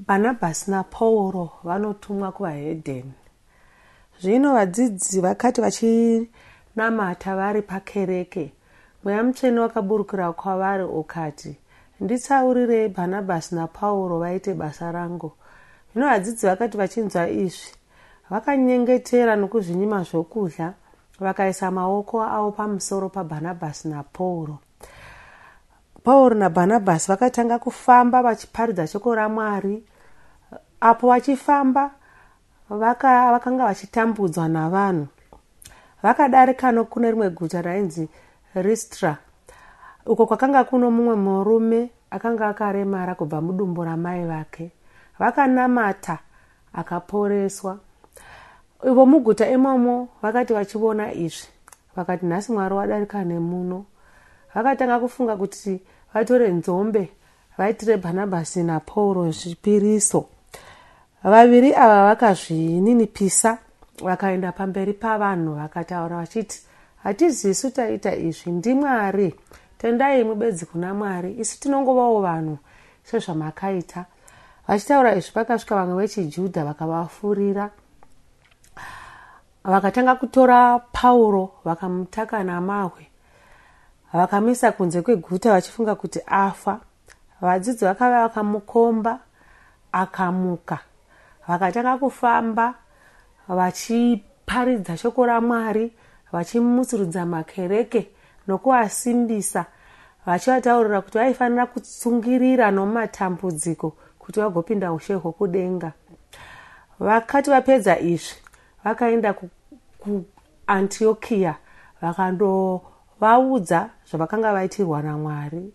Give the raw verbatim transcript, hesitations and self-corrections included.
Bhanabhasi naPauro vanotumwa kuvaHedheni. Zvino vadzidzi vakati vachinamata vari pakereke, mweya mutsvene wakaburukira kwavari ukati, nditsaurirei Bhanabhasi naPauro vaite basa rangu. Zvino vadzidzi vakati vachinzwa izvi, vakanyengetera nokuzvinyima zvokudya, vakaisa maoko avo pamusoro paBhanabhasi naPauro. Pauro naBhanabhasi vakatanga kufamba vachiparidza shoko raMwari. Apo vachifamba vaka, vakanga vachitambudzwa navanhu. Vakadarika nokune rimwe guta rainzi Listra, uko kwakanga kuno mumwe murume akanga akaremara kubva mudumbu ramai vake. Vakanamata akaporeswa. Ivo muguta imomo vakati vachiona izvi, vakati nhasi Mwari wadarika nemuno. Vakatanga kufunga kuti vatore nzombe vaitire Bhanabhasi naPauro zvipiriso. Vaviri ava vakazvininipisa, vakaenda pamberi pavanhu vakataura vachiti, hatizisu taita izvi, ndiMwari. Tendai mubedzi kuna Mwari, isu tinongovawo vanhu sezvamakaita. Vachitaura izvi pakasvika vamwe vechiJudha vakavafurira. Vakatanga kutora Pauro vakamutaka namahwe, vakamisa kunze kweguta vachifunga kuti afa. Vadzidzi vakava vakamukomba akamuka. Vakatanga kufamba vachiparidza shoko raMwari, vachimusurudza makereke nokuvasimbisa, vachivataurira kuti vaifanira kutsungirira nomumatambudziko kuti vagopinda ushe hwokudenga. Vakati vapedza izvi, vakaenda kuAntiokia vakandovaudza zvavakanga vaitirwa naMwari.